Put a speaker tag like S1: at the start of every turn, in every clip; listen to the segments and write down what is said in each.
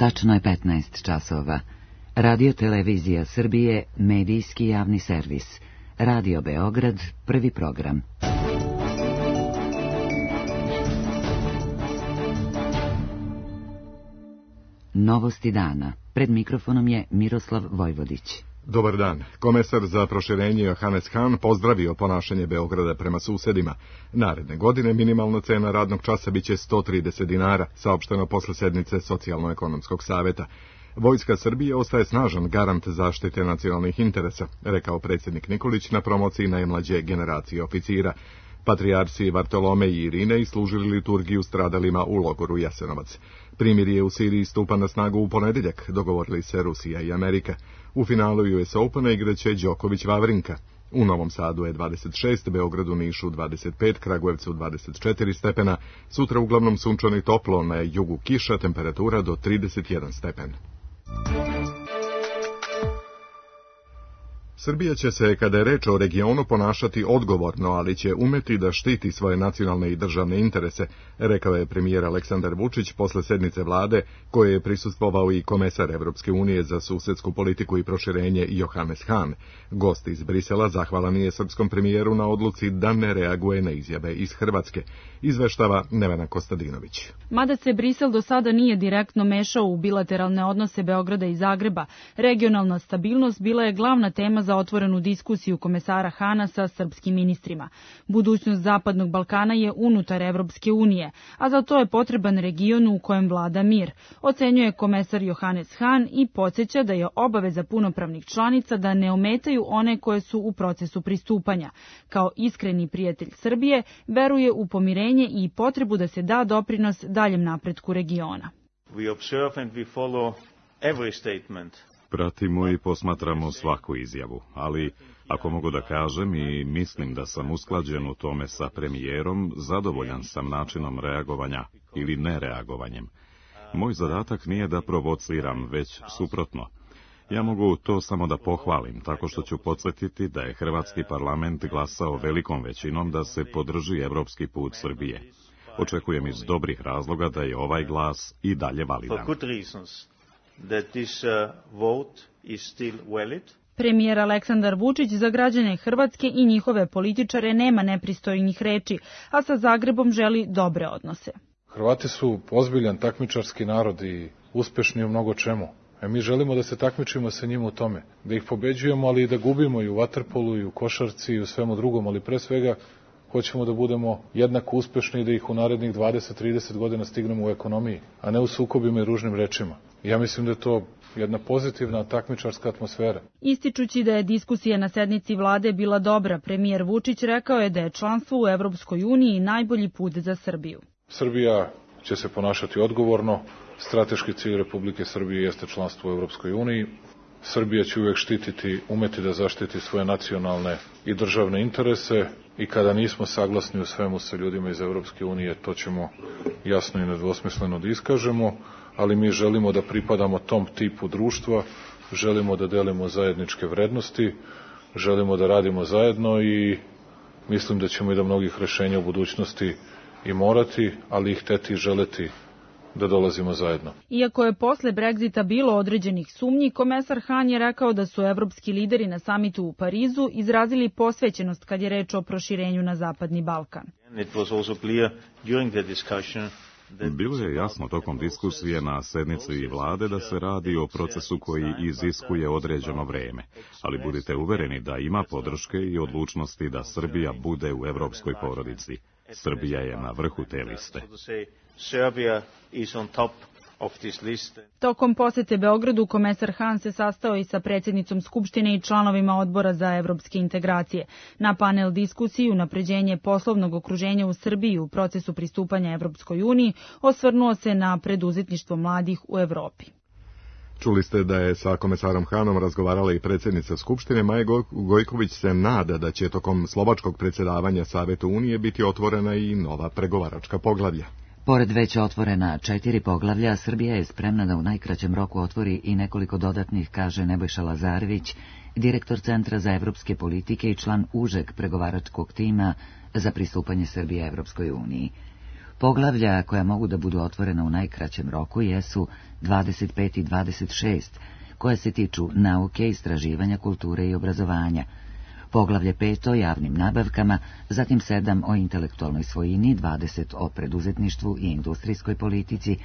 S1: Tačno je 15 časova. Radio Televizija Srbije, medijski javni servis. Radio Beograd, prvi program. Novosti dana. Pred mikrofonom je Miroslav Vojvodić.
S2: Dobar dan. Komesar za proširenje Johannes Hahn pozdravio ponašanje Beograda prema susedima. Naredne godine minimalna cena radnog časa biće 130 dinara, saopšteno posle sednice Socijalno-ekonomskog saveta. Vojska Srbije ostaje snažan garant zaštite nacionalnih interesa, rekao predsjednik Nikolić na promociji najmlađe generacije oficira. Patrijarsi Vartolomej i Irinej služili liturgiju stradalima u logoru Jasenovac. Primirje u Siriji stupa na snagu u ponedjeljak, dogovorili se Rusija i Amerika. U finalu US Opena igraće Đoković Vavrinka. U Novom Sadu je 26, Beogradu, Nišu 25, Kragujevcu 24 stepena. Sutra uglavnom sunčano i toplo, na jugu kiša, temperatura do 31 stepen. Srbija će se, kada je reč o regionu, ponašati odgovorno, ali će umeti da štiti svoje nacionalne i državne interese, rekao je premijer Aleksandar Vučić posle sednice vlade, koje je prisustvovao i komesar Evropske unije za susedsku politiku i proširenje Johannes Hahn. Gost iz Brisela zahvalan je srpskom premijeru na odluci da ne reaguje na izjave iz Hrvatske, izveštava Nevena Kostadinović.
S3: Mada se Brisel do sada nije direktno mešao u bilateralne odnose Beograda i Zagreba, regionalna stabilnost bila je glavna tema za otvorenu diskusiju komesara Hahna sa srpskim ministrima. Budućnost Zapadnog Balkana je unutar Evropske unije, a za to je potreban region u kojem vlada mir, ocenjuje komesar Johannes Hahn i podsjeća da je obaveza punopravnih članica da ne ometaju one koje su u procesu pristupanja. Kao iskreni prijatelj Srbije, veruje u pomirenje i potrebu da se da doprinos daljem napretku regiona.
S4: We observe and we follow every statement.
S5: Pratimo i posmatramo svaku izjavu, ali ako mogu da kažem i mislim da sam usklađen u tome sa premijerom, zadovoljan sam načinom reagovanja ili nereagovanjem. Moj zadatak nije da provociram, već suprotno. Ja mogu to samo da pohvalim, tako što ću podsjetiti da je Hrvatski parlament glasao velikom većinom da se podrži evropski put Srbije. Očekujem iz dobrih razloga da je ovaj glas i dalje validan.
S4: That this vote is still valid.
S3: Premijer Aleksandar Vučić za građane Hrvatske i njihove političare nema nepristojnih reči, a sa Zagrebom želi dobre odnose.
S6: Hrvati su ozbiljan takmičarski narod i uspešni u mnogo čemu. Mi želimo da se takmičimo sa njima u tome, da ih pobeđujemo, ali i da gubimo i u vaterpolu i u košarci i u svemu drugom, ali pre svega hoćemo da budemo jednako uspešni i da ih u narednih 20-30 godina stignemo u ekonomiji, a ne u sukobima i ružnim rečima. Ja mislim da je to jedna pozitivna takmičarska atmosfera.
S3: Ističući da je diskusija na sednici vlade bila dobra, premijer Vučić rekao je da je članstvo u Evropskoj uniji najbolji put za Srbiju.
S6: Srbija će se ponašati odgovorno. Strateški cilj Republike Srbije jeste članstvo u Evropskoj uniji. Srbija će uvek umeti da zaštiti svoje nacionalne i državne interese i kada nismo saglasni u svemu sa ljudima iz Evropske unije, to ćemo jasno i nedvosmisleno da iskažemo, ali mi želimo da pripadamo tom tipu društva, želimo da delimo zajedničke vrednosti, želimo da radimo zajedno i mislim da ćemo i do mnogih rešenja u budućnosti i morati, ali i hteti i želeti da dolazimo zajedno.
S3: Iako je posle Brexita bilo određenih sumnji, komesar Hahn je rekao da su evropski lideri na samitu u Parizu izrazili posvećenost kad je reč o proširenju na Zapadni Balkan.
S5: Bilo je jasno tokom diskusije na sednici vlade da se radi o procesu koji iziskuje određeno vreme, ali budite uvereni da ima podrške i odlučnosti da Srbija bude u evropskoj porodici. Srbija je na vrhu te liste.
S3: Tokom posete Beogradu, komesar Hahn se sastao i sa predsjednicom Skupštine i članovima Odbora za evropske integracije. Na panel diskusiji unapređenje poslovnog okruženja u Srbiji u procesu pristupanja Evropskoj uniji osvrnuo se na preduzetništvo mladih u Evropi.
S2: Čuli ste da je sa komesarom Hahnom razgovarala i predsjednica Skupštine. Maja Gojković se nada da će tokom slovačkog predsjedavanja Savetu Unije biti otvorena i nova pregovaračka poglavlja.
S1: Pored već otvorena 4 poglavlja, Srbija je spremna da u najkraćem roku otvori i nekoliko dodatnih, kaže Nebojša Lazarević, direktor Centra za evropske politike i član užeg pregovaračkog tima za pristupanje Srbije Evropskoj uniji. Poglavlja koja mogu da budu otvorena u najkraćem roku jesu 25 i 26, koje se tiču nauke, istraživanja, kulture i obrazovanja. Poglavlje 5 o javnim nabavkama, zatim 7 o intelektualnoj svojini, 20 o preduzetništvu i industrijskoj politici,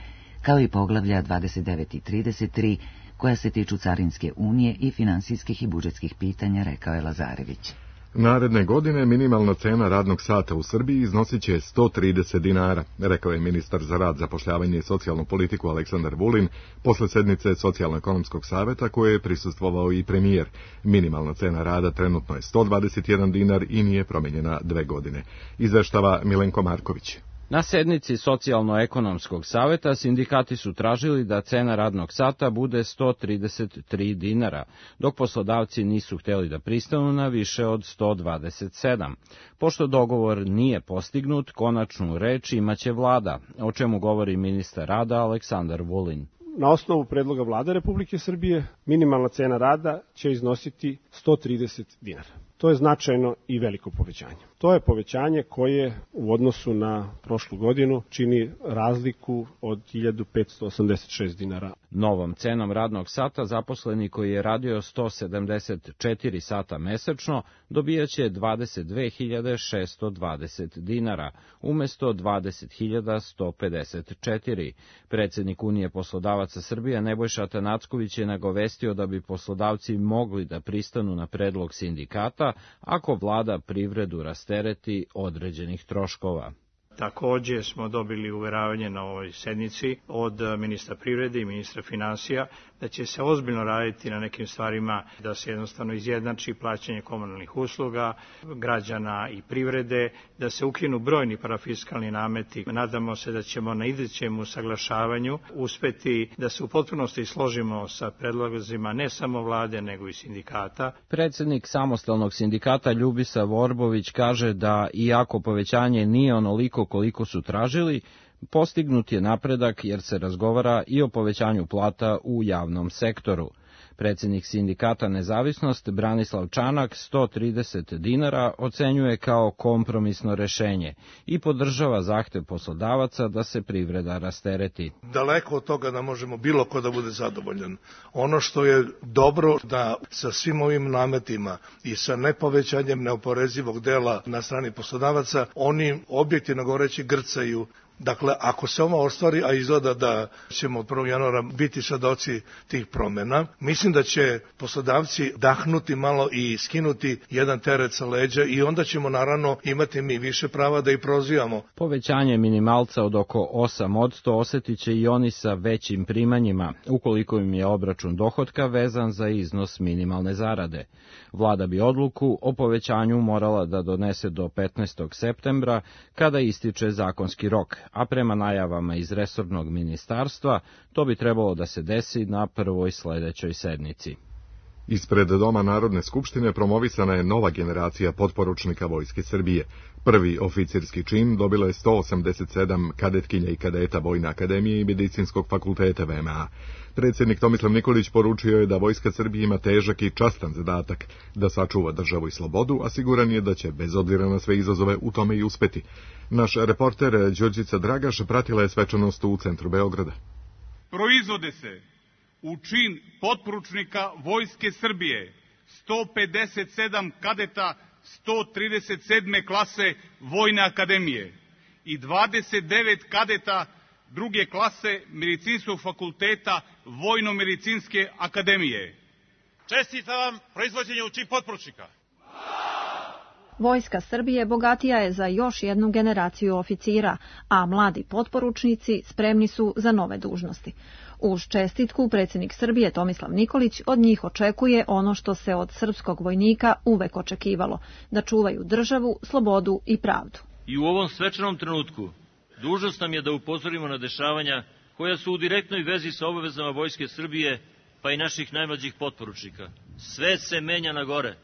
S1: kao i poglavlja 29 i 33, koja se tiču carinske unije i finansijskih i budžetskih pitanja, rekao je Lazarević.
S2: Naredne godine minimalna cena radnog sata u Srbiji iznosit će 130 dinara, rekao je ministar za rad, zapošljavanje i socijalnu politiku Aleksandar Vulin posle sednice Socijalno-ekonomskog saveta koje je prisustvovao i premijer. Minimalna cena rada trenutno je 121 dinar i nije promenjena 2 godine. Izveštava Milenko Marković.
S7: Na sednici Socijalno-ekonomskog saveta sindikati su tražili da cena radnog sata bude 133 dinara, dok poslodavci nisu hteli da pristanu na više od 127. Pošto dogovor nije postignut, konačnu reč imaće vlada, o čemu govori ministar rada Aleksandar Vulin.
S8: Na osnovu predloga Vlade Republike Srbije minimalna cena rada će iznositi 130 dinara. To je značajno i veliko povećanje. To je povećanje koje u odnosu na prošlu godinu čini razliku od 1586 dinara.
S7: Novom cenom radnog sata zaposleni koji je radio 174 sata mesečno dobijaće 22.620 dinara, umesto 20.154. Predsednik Unije poslodavaca Srbije Nebojša Atanacković je nagovestio da bi poslodavci mogli da pristanu na predlog sindikata ako vlada privredu rastereti određenih troškova.
S9: Takođe smo dobili uveravanje na ovoj sednici od ministra privrede i ministra finansija da će se ozbiljno raditi na nekim stvarima, da se jednostavno izjednači plaćanje komunalnih usluga, građana i privrede, da se ukinu brojni parafiskalni nameti. Nadamo se da ćemo na idućem usaglašavanju uspeti da se u potpunosti složimo sa predlozima ne samo vlade, nego i sindikata.
S7: Predsednik samostalnog sindikata Ljubisa Vorbović kaže da, iako povećanje nije onoliko koliko su tražili, postignut je napredak jer se razgovara i o povećanju plata u javnom sektoru. Predsednik sindikata Nezavisnost Branislav Čanak 130 dinara ocenjuje kao kompromisno rešenje i podržava zahtev poslodavaca da se privreda rastereti.
S10: Daleko od toga da možemo bilo ko da bude zadovoljan. Ono što je dobro da sa svim ovim nametima i sa nepovećanjem neoporezivog dela na strani poslodavaca, oni objektivno govoreći grcaju. Dakle, ako se ovo ostvari, a izgleda da ćemo od 1. januara biti svedoci tih promena, mislim da će poslodavci dahnuti malo i skinuti jedan teret sa leđa i onda ćemo naravno imati mi više prava da ih prozivamo.
S7: Povećanje minimalca od oko 8% osetit će i oni sa većim primanjima, ukoliko im je obračun dohotka vezan za iznos minimalne zarade. Vlada bi odluku o povećanju morala da donese do 15. septembra, kada ističe zakonski rok, a prema najavama iz resornog ministarstva, to bi trebalo da se desi na prvoj sledećoj sednici.
S2: Ispred Doma Narodne skupštine promovisana je nova generacija potporučnika Vojske Srbije. Prvi oficirski čin dobilo je 187 kadetkinja i kadeta Vojne akademije i Medicinskog fakulteta VMA. Predsjednik Tomislav Nikolić poručio je da Vojska Srbije ima težak i častan zadatak da sačuva državu i slobodu, a siguran je da će bez obzira na sve izazove u tome i uspeti. Naš reporter Đurđica Dragaš pratila je svečanost u centru Beograda.
S11: Proizvode se u čin potporučnika Vojske Srbije 157 kadeta 137. klase Vojne akademije i 29 kadeta druge klase Medicinskog fakulteta Vojno-medicinske akademije. Čestitam vam proizvođenje u čin potporučnika.
S12: Vojska Srbije bogatija je za još jednu generaciju oficira, a mladi potporučnici spremni su za nove dužnosti. Uz čestitku predsjednik Srbije Tomislav Nikolić od njih očekuje ono što se od srpskog vojnika uvek očekivalo, da čuvaju državu, slobodu i pravdu.
S13: I u ovom svečanom trenutku dužnost nam je da upozorimo na dešavanja koja su u direktnoj vezi sa obavezama Vojske Srbije, pa i naših najmlađih potporučnika. Sve se menja na gore.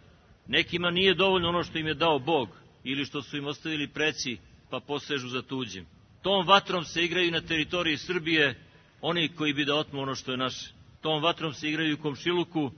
S13: Nekima nije dovoljno ono što im je dao Bog ili što su im ostavili preci, pa posežu za tuđim. Tom vatrom se igraju na teritoriji Srbije oni koji bi da otmu ono što je naše. Tom vatrom se igraju u komšiluku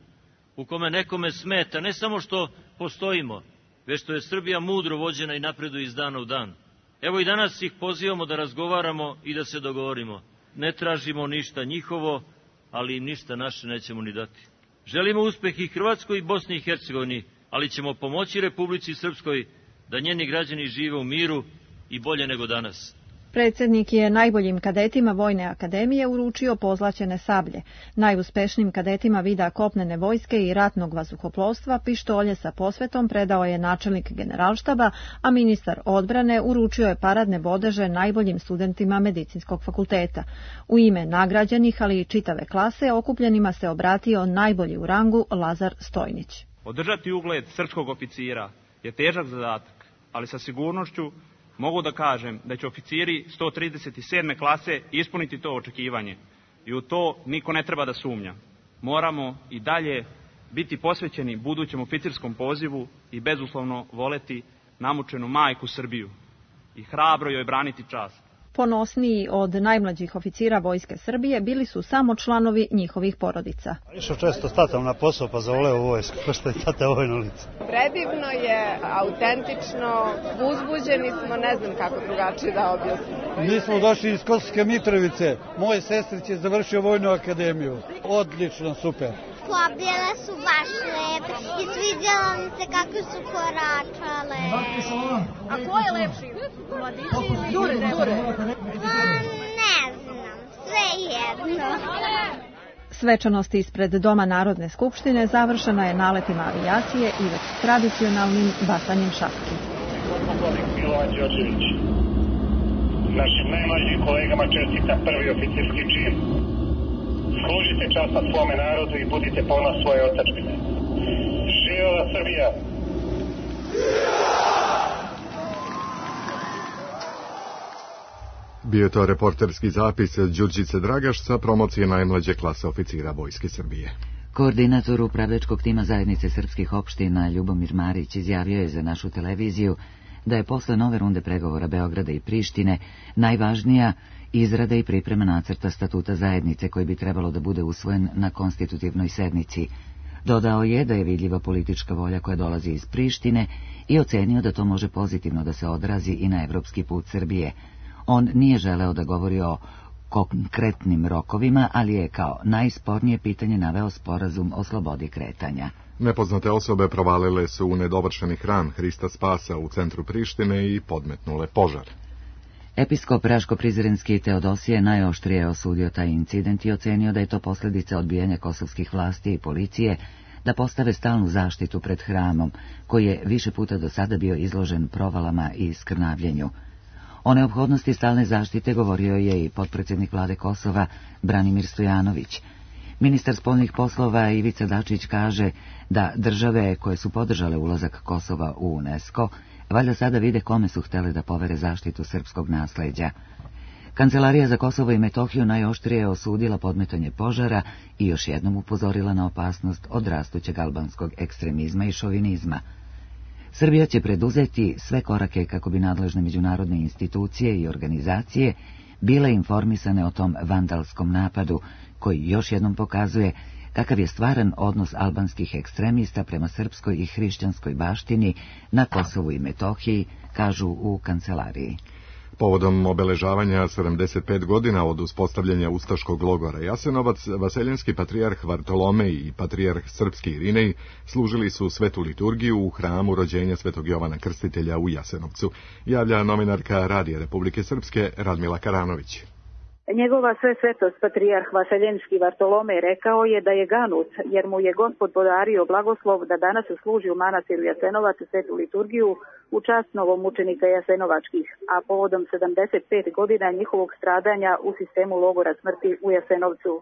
S13: u kome nekome smeta ne samo što postojimo, već što je Srbija mudro vođena i napreduje iz dana u dan. Evo i danas ih pozivamo da razgovaramo i da se dogovorimo. Ne tražimo ništa njihovo, ali im ništa naše nećemo ni dati. Želimo uspeh i Hrvatskoj i Bosni i Hercegovini, ali ćemo pomoći Republici Srpskoj da njeni građani žive u miru i bolje nego danas.
S12: Predsjednik je najboljim kadetima Vojne akademije uručio pozlaćene sablje, najuspešnijim kadetima vida kopnene vojske i ratnog vazduhoplovstva pištolje sa posvetom predao je načelnik generalštaba, a ministar odbrane uručio je paradne bodeže najboljim studentima medicinskog fakulteta. U ime nagrađenih, ali i čitave klase, okupljenima se obratio najbolji u rangu Lazar Stojnić.
S14: Održati ugled srpskog oficira je težak zadatak, ali sa sigurnošću mogu da kažem da će oficiri 137. klase ispuniti to očekivanje i u to niko ne treba da sumnja. Moramo i dalje biti posvećeni budućem oficirskom pozivu i bezuslovno voleti namučenu majku Srbiju i hrabro joj braniti čast.
S12: Ponosniji od najmlađih oficira Vojske Srbije bili su samo članovi njihovih porodica.
S15: Išao često s tatom na posao pa zavoleo u vojsku, ko što je tata vojno lice.
S16: Predivno je, autentično, uzbuđeni smo, ne znam kako drugačije da objasnim.
S15: Mi smo došli iz Kosovske Mitrovice, moj sestrić je završio Vojnu akademiju. Odlično, super.
S17: Pobjele su baš lepe i svidjelo mi se kako su koračale.
S16: A ko je lepši? Mladići ili Dure?
S17: Ne znam, sve jedno.
S12: Svečanost ispred Doma Narodne skupštine završena je naletima avijacije i već tradicionalnim bacanjem šapki.
S18: Milovan Đorđević, našim najmlađim kolegama čestita prvi oficirski čin. Služite časno svome narodu i budite ponos svoje otadžbine. Živela Srbija!
S2: Bio je to reporterski zapis Đurđice Dragaš sa promocije najmlađe klase oficira Vojske Srbije.
S1: Koordinator upravljačkog tima zajednice srpskih opština Ljubomir Marić izjavio je za našu televiziju da je posle nove runde pregovora Beograda i Prištine najvažnija izrada i priprema nacrta statuta zajednice koji bi trebalo da bude usvojen na konstitutivnoj sednici. Dodao je da je vidljiva politička volja koja dolazi iz Prištine i ocenio da to može pozitivno da se odrazi i na evropski put Srbije. On nije želeo da govori o konkretnim rokovima, ali je kao najspornije pitanje naveo sporazum o slobodi kretanja.
S2: Nepoznate osobe provalile su u nedovršeni hram Hrista Spasa u centru Prištine i podmetnule požar.
S1: Episkop Raško-Prizrenski Teodosije najoštrije osudio taj incident i ocenio da je to posljedica odbijanja kosovskih vlasti i policije da postave stalnu zaštitu pred hramom, koji je više puta do sada bio izložen provalama i skrnavljenju. O neophodnosti stalne zaštite govorio je i potpredsjednik vlade Kosova Branimir Stojanović. Ministar spoljnih poslova Ivica Dačić kaže da države koje su podržale ulazak Kosova u UNESCO valjda sada vide kome su htjele da povere zaštitu srpskog nasleđa. Kancelarija za Kosovo i Metohiju najoštrije je osudila podmetanje požara i još jednom upozorila na opasnost od rastućeg albanskog ekstremizma i šovinizma. Srbija će preduzeti sve korake kako bi nadležne međunarodne institucije i organizacije bile informisane o tom vandalskom napadu, koji još jednom pokazuje kakav je stvaran odnos albanskih ekstremista prema srpskoj i hrišćanskoj baštini na Kosovu i Metohiji, kažu u kancelariji.
S2: Povodom obeležavanja 75 godina od uspostavljanja ustaškog logora Jasenovac, vaseljenski patrijarh Vartolomej i patrijarh srpski Irinej služili su svetu liturgiju u hramu rođenja svetog Jovana Krstitelja u Jasenovcu, javlja novinarka Radija Republike Srpske Radmila Karanović.
S19: Njegova sve svetost patrijarh Vaseljenski Vartolomej rekao je da je ganut, jer mu je Gospod podario blagoslov da danas služi u manastiru Jasenovac svetu liturgiju u čast novomučenika Jasenovačkih, a povodom 75 godina njihovog stradanja u sistemu logora smrti u Jasenovcu.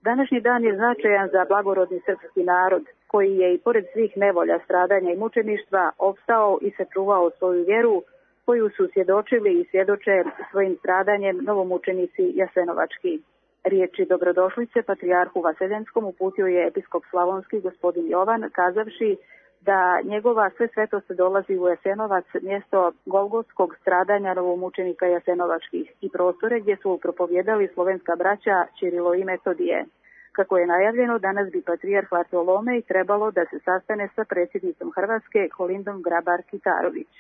S19: Današnji dan je značajan za blagorodni srpski narod, koji je i pored svih nevolja, stradanja i mučeništva opstao i sačuvao svoju vjeru, koju su svjedočili i svjedoče svojim stradanjem novomučenici Jasenovački. Riječi dobrodošlice patrijarhu Vaseljenskom uputio je episkop Slavonski gospodin Jovan, kazavši da njegova sve svetost dolazi u Jasenovac, mjesto golgotskog stradanja novomučenika Jasenovačkih i prostore gdje su propovjedali slovenska braća Čirilo i Metodije. Kako je najavljeno, danas bi patrijarh Vartolomej trebalo da se sastane sa predsjednicom Hrvatske Kolindom Grabar-Kitarović.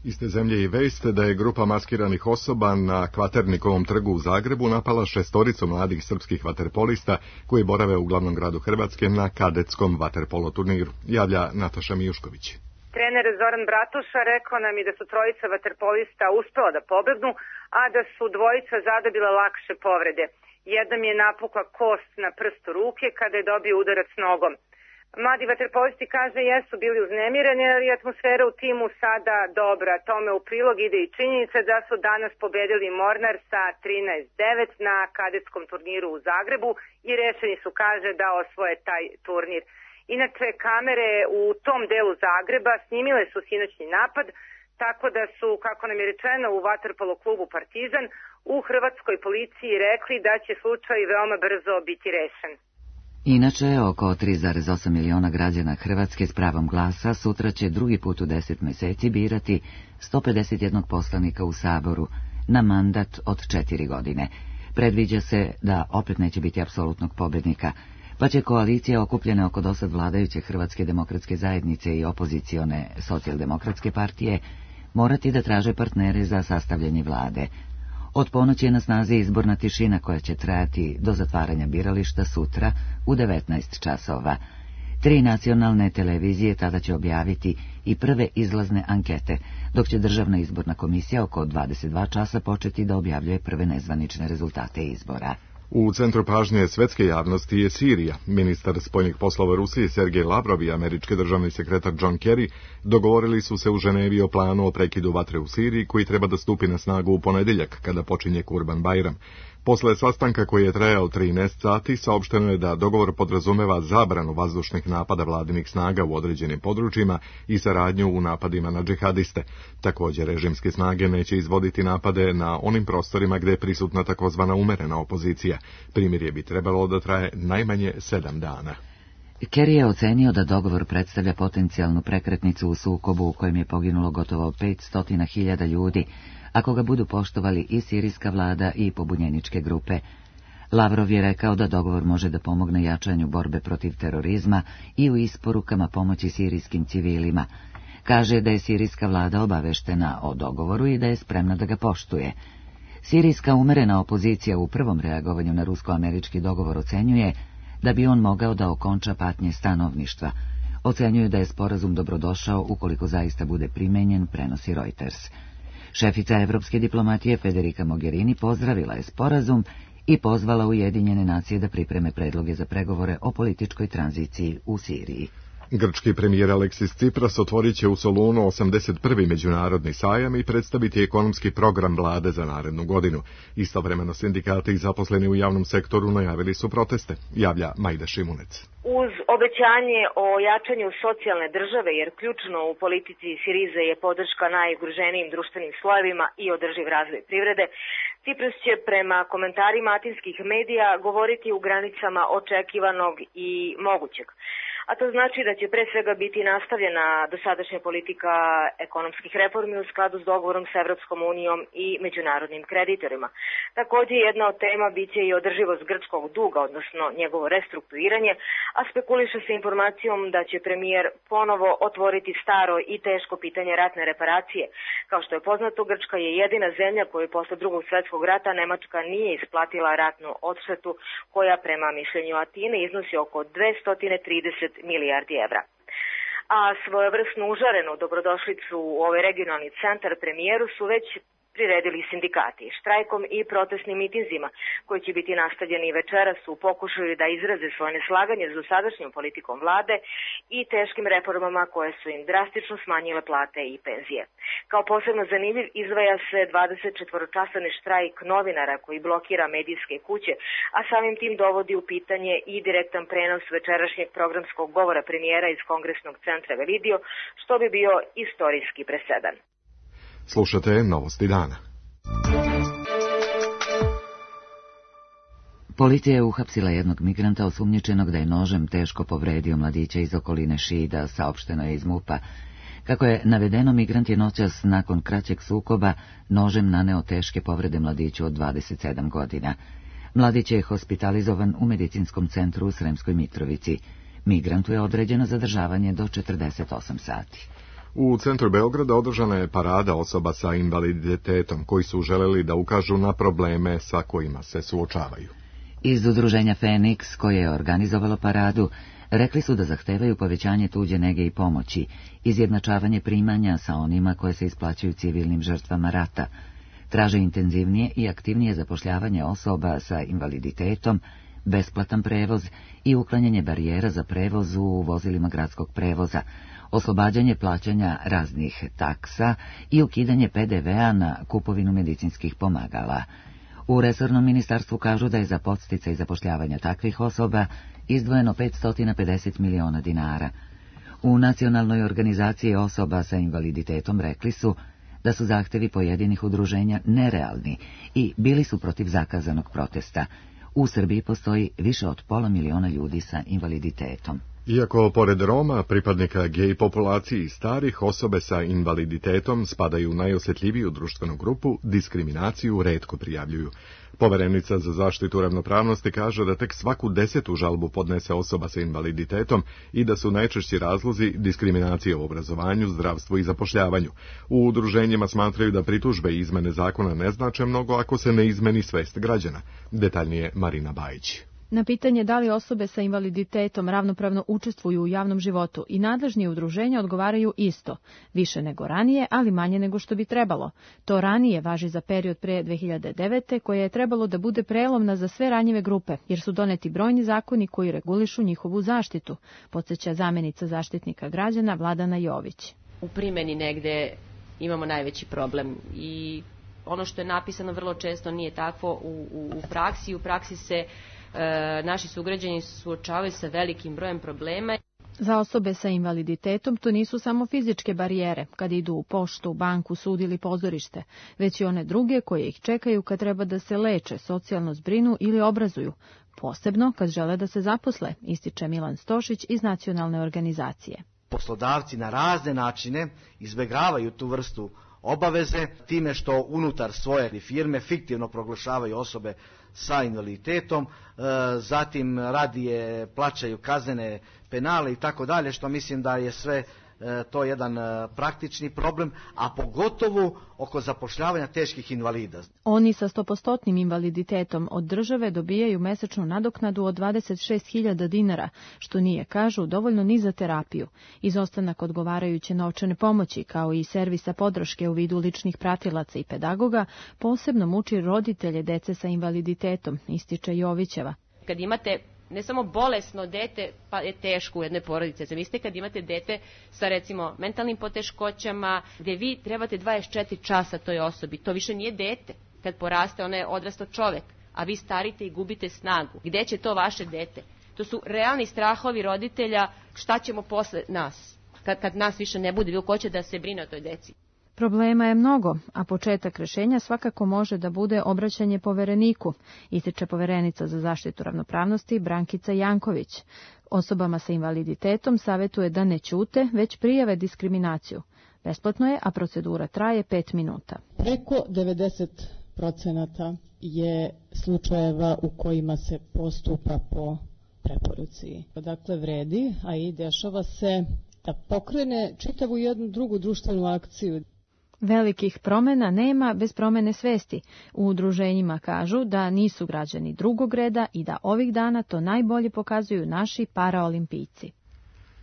S2: Iste zemlje i vest da je grupa maskiranih osoba na Kvaternikovom trgu u Zagrebu napala 6 mladih srpskih vaterpolista koji borave u glavnom gradu Hrvatske na kadetskom vaterpolo turniru. Javlja Nataša Mijušković.
S20: Trener Zoran Bratuša rekao nam i da su 3 vaterpolista uspela da pobegnu, a da su 2 zadobila lakše povrede. Jedan je napukla kost na prstu ruke kada je dobio udarac nogom. Mladi vaterpolisti, kaže, jesu bili uznemireni, ali atmosfera u timu sada dobra. Tome u prilog ide i činjenica da su danas pobedili Mornar sa 13-9 na kadetskom turniru u Zagrebu i rešeni su, kaže, da osvoje taj turnir. Inače, kamere u tom delu Zagreba snimile su sinoćni napad, tako da su, kako nam je rečeno u vaterpolo klubu Partizan, u hrvatskoj policiji rekli da će slučaj veoma brzo biti rešen.
S1: Inače, oko 3,8 miliona građana Hrvatske s pravom glasa sutra će drugi put u 10 meseci birati 151 poslanika u Saboru na mandat od 4 godine. Predviđa se da opet neće biti apsolutnog pobednika, pa će koalicija okupljena oko dosad vladajuće Hrvatske demokratske zajednice i opozicione socijaldemokratske partije morati da traže partnere za sastavljanje vlade. Od ponoći je na snazi izborna tišina koja će trajati do zatvaranja birališta sutra u 19 časova. 3 nacionalne televizije tada će objaviti i prve izlazne ankete, dok će Državna izborna komisija oko 22 časa početi da objavljuje prve nezvanične rezultate izbora.
S2: U centru pažnje svetske javnosti je Sirija. Ministar spoljnih poslova Rusije Sergej Lavrov i američki državni sekretar John Kerry dogovorili su se u Ženevi o planu o prekidu vatre u Siriji koji treba da stupi na snagu u ponedjeljak kada počinje Kurban Bajram. Posle sastanka koji je trajao 13 sati, saopšteno je da dogovor podrazumeva zabranu vazdušnih napada vladinih snaga u određenim područjima i saradnju u napadima na džihadiste. Također, režimske snage neće izvoditi napade na onim prostorima gde je prisutna takozvana umerena opozicija. Primirje bi trebalo da traje najmanje 7 dana.
S1: Kerry je ocenio da dogovor predstavlja potencijalnu prekretnicu u sukobu u kojem je poginulo gotovo 500.000 ljudi, ako ga budu poštovali i sirijska vlada i pobunjeničke grupe. Lavrov je rekao da dogovor može da pomogne jačanju borbe protiv terorizma i u isporukama pomoći sirijskim civilima. Kaže da je sirijska vlada obaveštena o dogovoru i da je spremna da ga poštuje. Sirijska umerena opozicija u prvom reagovanju na rusko-američki dogovor ocenjuje da bi on mogao da okonča patnje stanovništva. Ocenjuju da je sporazum dobrodošao ukoliko zaista bude primenjen, prenosi Reuters. Šefica evropske diplomatije Federica Mogherini pozdravila je sporazum i pozvala Ujedinjene nacije da pripreme predloge za pregovore o političkoj tranziciji u Siriji.
S2: Grčki premijer Aleksis Tsipras otvorit će u Solunu 81. međunarodni sajam i predstaviti ekonomski program vlade za narednu godinu. Istovremeno sindikati i zaposleni u javnom sektoru najavili su proteste, javlja Majda Šimunec.
S21: Uz obećanje o jačanju socijalne države, jer ključno u politici Sirize je podrška najugroženijim društvenim slojevima i održiv razvoj privrede, Tsipras će prema komentarima atinskih medija govoriti u granicama očekivanog i mogućeg. A to znači da će pre svega biti nastavljena dosadašnja politika ekonomskih reformi u skladu s dogovorom s Evropskom unijom i međunarodnim kreditorima. Također jedna od tema biće i održivost grčkog duga, odnosno njegovo restrukturiranje, a spekuliše se informacijom da će premijer ponovo otvoriti staro i teško pitanje ratne reparacije. Kao što je poznato, Grčka je jedina zemlja koju posle Drugog svjetskog rata Nemačka nije isplatila ratnu odštetu, koja prema mišljenju Atine iznosi oko 230 milijardi evra. A svojevrsnu užarenu dobrodošlicu u ovaj regionalni centar premijeru su već priredili sindikati, štrajkom i protestnim mitinzima, koji će biti nastavljeni večeras u pokušaju da izraze svoje neslaganje s dosadašnjom politikom vlade i teškim reformama koje su im drastično smanjile plate i penzije. Kao posebno zanimljiv izdvaja se 24-časovni štrajk novinara koji blokira medijske kuće, a samim tim dovodi u pitanje i direktan prenos večerašnjeg programskog govora premijera iz Kongresnog centra Velidio, što bi bio istorijski presedan.
S2: Slušate Novosti dana.
S1: Policija je uhapsila jednog migranta osumnjičenog da je nožem teško povredio mladića iz okoline Šida, saopšteno je iz MUP-a. Kako je navedeno, migrant je noćas nakon kraćeg sukoba nožem naneo teške povrede mladiću od 27 godina. Mladić je hospitalizovan u medicinskom centru u Sremskoj Mitrovici. Migrantu je određeno zadržavanje do 48 sati.
S2: U centru Beograda održana je parada osoba sa invaliditetom koji su želeli da ukažu na probleme sa kojima se suočavaju.
S1: Iz udruženja Feniks, koje je organizovalo paradu, rekli su da zahtevaju povećanje tuđe nege i pomoći, izjednačavanje primanja sa onima koje se isplaćuju civilnim žrtvama rata, traže intenzivnije i aktivnije zapošljavanje osoba sa invaliditetom, besplatan prevoz i uklanjanje barijera za prevoz u vozilima gradskog prevoza, oslobađanje plaćanja raznih taksa i ukidanje PDV-a na kupovinu medicinskih pomagala. U resornom ministarstvu kažu da je za podsticaj zapošljavanja takvih osoba izdvojeno 550 miliona dinara. U nacionalnoj organizaciji osoba sa invaliditetom rekli su da su zahtevi pojedinih udruženja nerealni i bili su protiv zakazanog protesta. U Srbiji postoji više od 500.000 ljudi sa invaliditetom.
S2: Iako, pored Roma, pripadnika gej populaciji i starih, osobe sa invaliditetom spadaju u najosjetljiviju društvenu grupu, diskriminaciju retko prijavljuju. Poverenica za zaštitu ravnopravnosti kaže da tek svaku 10. žalbu podnese osoba sa invaliditetom i da su najčešći razlozi diskriminacije u obrazovanju, zdravstvu i zapošljavanju. U udruženjima smatraju da pritužbe i izmene zakona ne znače mnogo ako se ne izmeni svest građana. Detaljnije Marina Bajić.
S4: Na pitanje da li osobe sa invaliditetom ravnopravno učestvuju u javnom životu i nadležni udruženja odgovaraju isto, više nego ranije, ali manje nego što bi trebalo. To ranije važi za period pre 2009. koje je trebalo da bude prelomna za sve ranjive grupe, jer su doneti brojni zakoni koji regulišu njihovu zaštitu, podsjeća zamenica zaštitnika građana Vladana Jović.
S22: U primjeni negde imamo najveći problem i ono što je napisano vrlo često nije takvo u praksi. U praksi se naši sugrađani suočavaju sa velikim brojem problema.
S4: Za osobe sa invaliditetom to nisu samo fizičke barijere, kad idu u poštu, banku, sud ili pozorište, već i one druge koje ih čekaju kad treba da se leče, socijalno zbrinu ili obrazuju, posebno kad žele da se zaposle, ističe Milan Stošić iz nacionalne organizacije.
S23: Poslodavci na razne načine izbegavaju tu vrstu obaveze time što unutar svoje firme fiktivno proglašavaju osobe sa invaliditetom, zatim radije plaćaju kaznene penale i tako dalje, što mislim da je sve to jedan praktični problem, a pogotovo oko zapošljavanja teških invalida.
S4: Oni sa 100% invaliditetom od države dobijaju mesečnu nadoknadu od 26.000 dinara, što nije, kažu, dovoljno ni za terapiju. Izostanak odgovarajuće novčane pomoći, kao i servisa podrške u vidu ličnih pratilaca i pedagoga, posebno muči roditelje dece sa invaliditetom, ističe Jovićeva.
S22: Kad imate ne samo bolesno dete, pa je teško u jednoj porodici. Zamislite kad imate dete sa recimo mentalnim poteškoćama, gdje vi trebate 24 časa toj osobi. To više nije dete. Kad poraste, ona je odrastao čovek, a vi starite i gubite snagu. Gde će to vaše dete? To su realni strahovi roditelja, šta ćemo posle nas, kad nas više ne bude, ko će da se brine o toj deci.
S4: Problema je mnogo, a početak rešenja svakako može da bude obraćanje povereniku, ističe poverenica za zaštitu ravnopravnosti Brankica Janković. Osobama sa invaliditetom savjetuje da ne ćute, već prijave diskriminaciju. Besplatno je, a procedura traje 5 minuta.
S24: Preko 90% je slučajeva u kojima se postupa po preporuci. Dakle, vredi, a i dešava se da pokrene čitavu jednu drugu društvenu akciju.
S4: Velikih promjena nema bez promjene svesti. U udruženjima kažu da nisu građani drugog reda i da ovih dana to najbolje pokazuju naši paraolimpijci.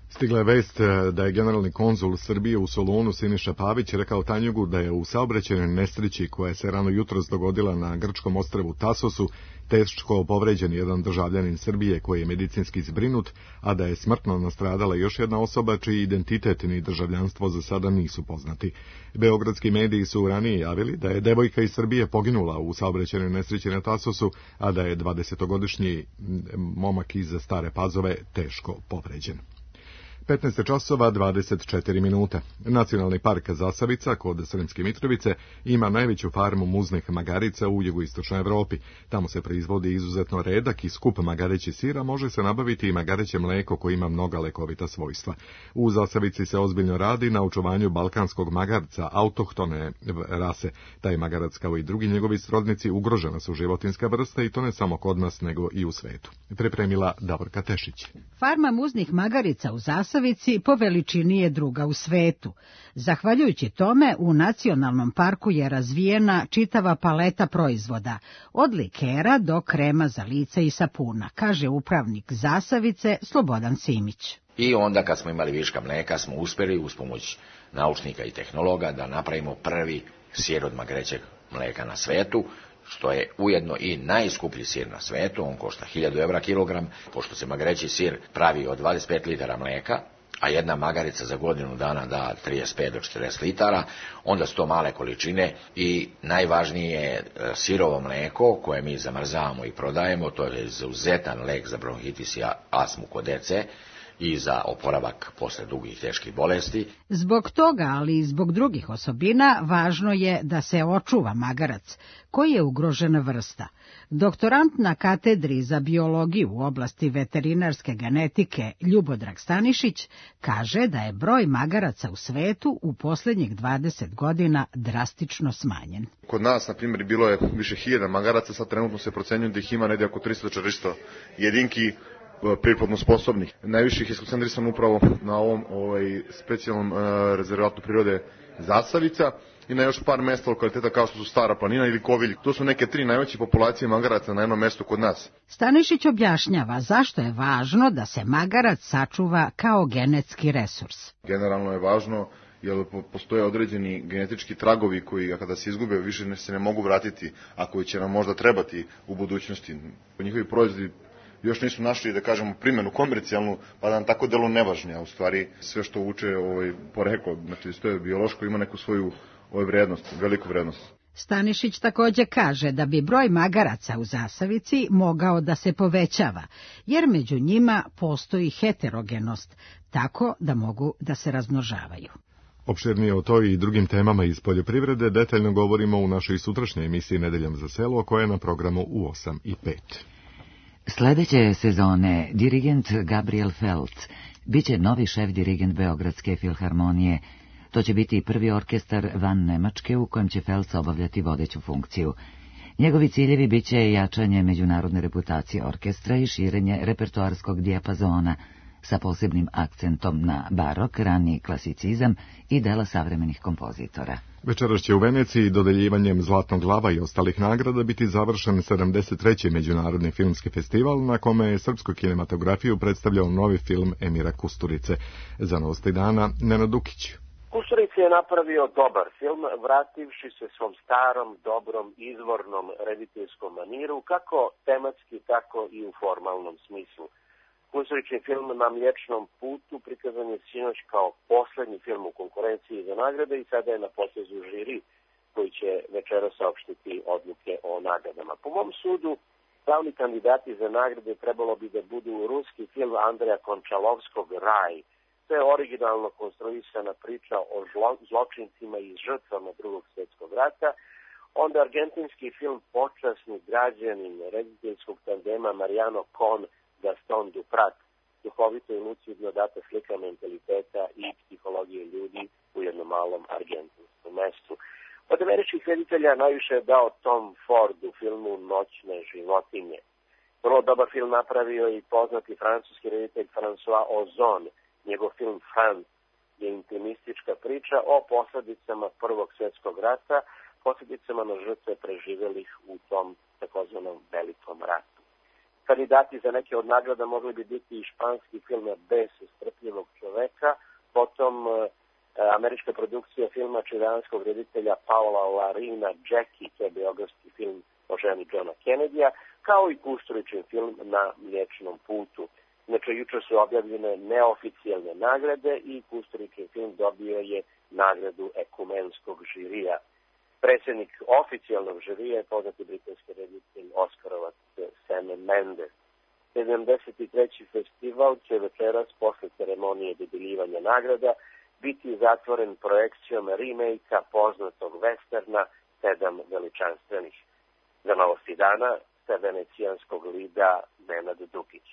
S2: Stigla je vest da je generalni konzul Srbije u Solunu Siniša Pavić rekao Tanjugu da je u saobraćajnoj nesreći koja se rano jutros dogodila na grčkom ostrvu Tasosu teško povređen jedan državljanin Srbije koji je medicinski zbrinut, a da je smrtno nastradala još jedna osoba čiji identitet ni državljanstvo za sada nisu poznati. Beogradski mediji su ranije javili da je devojka iz Srbije poginula u saobraćajnoj nesreći na Tasosu, a da je 20-godišnji momak iz Stare Pazove teško povređen. 15 časova 24 minuta. Nacionalni park Zasavica kod Sremske Mitrovice ima najveću farmu muznih magarica u jugoistočnoj Evropi. Tamo se proizvodi izuzetno redak i skup magareći sira, može se nabaviti i magareće mleko koje ima mnoga lekovita svojstva. U Zasavici se ozbiljno radi na očuvanju balkanskog magarca, autohtone rase. Taj magarac kao i drugi njegovi srodnici ugrožena su životinska vrsta i to ne samo kod nas nego i u svetu. Pripremila Davorka Tešić.
S25: Farma muznih magarica u Zasavici
S3: zasavici po veličini je druga u svetu. Zahvaljujući tome, u nacionalnom parku je razvijena čitava paleta proizvoda, od likera do krema za lice i sapuna, kaže upravnik zasavice Slobodan Simić.
S5: I onda kad smo imali viška mlijeka smo uspjeli uz pomoć naučnika i tehnologa da napravimo prvi sir od magrećeg mlijeka na svetu, što je ujedno i najskuplji sir na svetu, on košta 1000 evra kilogram, pošto se magreći sir pravi od 25 litara mlijeka, a jedna magarica za godinu dana da 35 do 40 litara, onda su to male količine i najvažnije je sirovo mlijeko koje mi zamrzavamo i prodajemo, to je izuzetan lek za bronhitis i astmu kod dece i za oporavak posle dugih teških bolesti.
S3: Zbog toga, ali i zbog drugih osobina, važno je da se očuva magarac, koji je ugrožena vrsta. Doktorant na katedri za biologiju u oblasti veterinarske genetike Ljubodrag Stanišić kaže da je broj magaraca u svetu u posljednjih 20 godina drastično smanjen.
S6: Kod nas, na primjer, bilo je više 1000 magaraca, sad trenutno se procenjuje da ih ima negdje oko 300-400 jedinki priplodno sposobnih. Najviše ih je skoncentrisano upravo na ovom specijalnom rezervatu prirode Zasavica i na još par mesta lokaliteta kao što su Stara planina ili Kovilj. To su neke 3 najveće populacije magaraca na jednom mjestu kod nas.
S3: Stanišić objašnjava zašto je važno da se magarac sačuva kao genetski resurs.
S6: Generalno je važno jer postoje određeni genetički tragovi koji kada se izgube više se ne mogu vratiti, a koji će nam možda trebati u budućnosti. Njihovi proizvodi još nisu našli, da kažemo, primjenu komercijalnu, pa da nam tako delu nevažni, a u stvari sve što uče poreklo, znači to je biološko, ima neku svoju vrednost, veliku vrednost.
S3: Stanišić također kaže da bi broj magaraca u zasavici mogao da se povećava, jer među njima postoji heterogenost, tako da mogu da se razmnožavaju.
S2: Opširnije o toj i drugim temama iz poljoprivrede detaljno govorimo u našoj sutrašnjoj emisiji Nedeljom za selo, koja je na programu u 8:05.
S1: Sljedeće sezone dirigent Gabriel Feltz biće novi šef dirigent Beogradske filharmonije. To će biti prvi orkestar van Nemačke u kojem će Feltz obavljati vodeću funkciju. Njegovi ciljevi biće jačanje međunarodne reputacije orkestra i širenje repertoarskog dijapazona sa posebnim akcentom na barok, rani klasicizam i dela savremenih kompozitora.
S2: Večeras će u Veneciji dodeljivanjem Zlatnog lava i ostalih nagrada biti završen 73. Međunarodni filmski festival na kome je srpsku kinematografiju predstavljao novi film Emira Kusturice. Za Novosti dana, Nenad Dukić.
S8: Kusturica je napravio dobar film, vrativši se svom starom, dobrom, izvornom rediteljskom maniru, kako tematski, tako i u formalnom smislu. Kusturičin film Na mliječnom putu prikazan je sinoć kao posljednji film u konkurenciji za nagrade i sada je na potezu žiri koji će večera saopštiti odluke o nagradama. Po mom sudu, glavni kandidati za nagrade trebalo bi da budu ruski film Andreja Končalovskog Raj. To je originalno konstruisana priča o zločincima i žrtvama Drugog svjetskog rata. Onda argentinski film Počasni građanin rediteljskog tandema Mariano Con Gaston Duprat, duhovito i lucidno data slika mentaliteta i psihologije ljudi u jednom malom argentinskom mestu. Od američkih reditelja najviše je dao Tom Ford u filmu Noćne životinje. Vrlo dobar film napravio i poznati francuski reditelj François Ozon. Njegov film Franz je intimistička priča o posljedicama Prvog svjetskog rata, posljedicama na žrtve preživjelih u tom takozvanom velikom ratu. Kandidati za neke od nagrada mogli bi biti i španski film Bes strpljivog čoveka, potom američka produkcija filma čileanskog reditelja Paola Larina Jackie, to je biografski film o ženi Johna Kennedya, kao i Kusturičin film Na mliječnom putu. Znači, jučer su objavljene neoficijalne nagrade i Kusturičin film dobio je nagradu ekumenskog žirija. Predsjednik oficijalnog žirija je poznati britanski reditelj Oskarovac Sam Mendes. 73. festival će večeras posle ceremonije dodeljivanja nagrada biti zatvoren projekcijom remake-a poznatog westerna Sedam veličanstvenih. Za Novosti dana sa venecijanskog lida Nenad Dukić.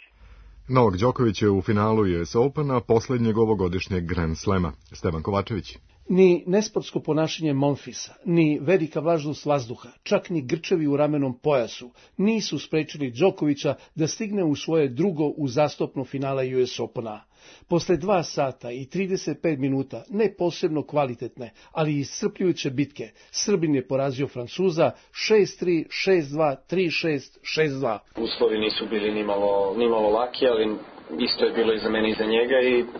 S2: Novak Đoković je u finalu US Opena posljednjeg ovogodišnjeg Grand Slema. Stevan Kovačević.
S25: Ni nesportsko ponašanje Monfisa, ni velika vlažnost vazduha, čak ni grčevi u ramenom pojasu nisu sprečili Đokovića da stigne u svoje drugo uzastopno finale US Opena. Posle 2 sata i 35 minuta ne posebno kvalitetne, ali iscrpljujuće bitke, Srbin je porazio Francuza 6-3, 6-2, 3-6, 6-2.
S7: Uslovi nisu bili nimalo laki, ali isto je bilo i za mene i za njega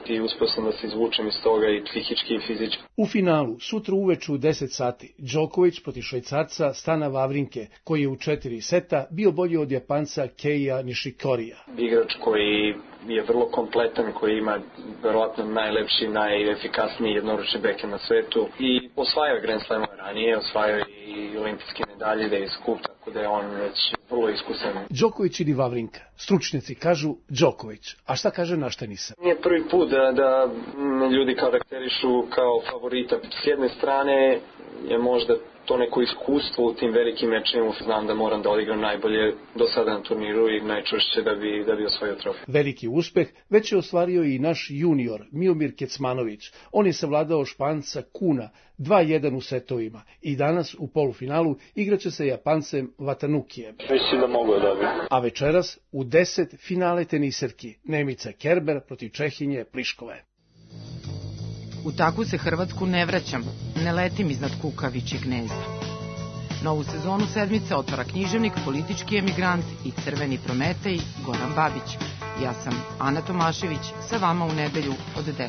S7: i uspio sam da se izvučem iz toga i psihički i fizički.
S25: U finalu, sutra uveče u 10 sati, Đoković protiv Švajcarca Stana Wawrinke, koji je u 4 seta bio bolji od Japanca Keija Nishikorija.
S7: Igrač koji je vrlo kompletan, koji ima verovatno najlepši, najefikasniji jednoručni backhand na svetu i osvajao je Grand Slamove ranije, osvajao i olimpijske medalje, da je skup, tako da je on već vrlo iskusan.
S25: Đoković ili Wawrinka? Stručnjaci kažu Đoković, a šta kaže Naštenica?
S7: Nije prvi put da ljudi karakterišu kao favorita. S jedne strane je možda to neko iskustvo u tim velikim mečima. Znam da moram da odigram najbolje do sada na turniru i najčvršće da bi osvojio trofej.
S25: Veliki uspeh već je ostvario i naš junior Miomir Kecmanović. On je savladao Španca Kuna 2-1 u setovima i danas u polufinalu igraće sa Japancem Vatanukijem.
S7: Mislim da mogu da dobijem.
S25: A večeras u 10 finale teniserki Nemica Kerber protiv Čehinje Pliškove.
S9: U takvu se Hrvatsku ne vraćam, ne letim iznad kukavičjeg gnezda. Novu sezonu Sedmice otvara književnik, politički emigrant i crveni Prometej Goran Babić. Ja sam Ana Tomašević, sa vama u nedelju od 10.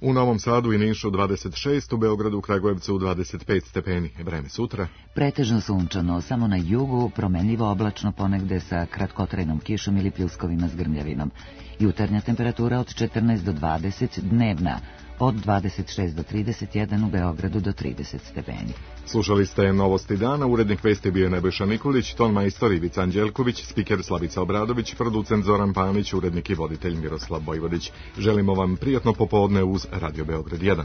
S2: U Novom Sadu i Nišu 26, u Beogradu, Kragujevcu 25 stepeni. Vreme sutra.
S1: Pretežno sunčano, samo na jugu promenljivo oblačno, ponegde sa kratkotrajnom kišom ili pljuskovima s grmljavinom. Jutarnja temperatura od 14 do 20, dnevna od 26 do 31, u Beogradu do 30 stepeni.
S2: Slušali ste Novosti dana, urednik vesti bio je Nebojša Nikolić, ton majstor Ivica Anđelković, spiker Slavica Obradović, producent Zoran Panić, urednik i voditelj Miroslav Bojvodić. Želimo vam prijatno popodne uz Radio Beograd 1.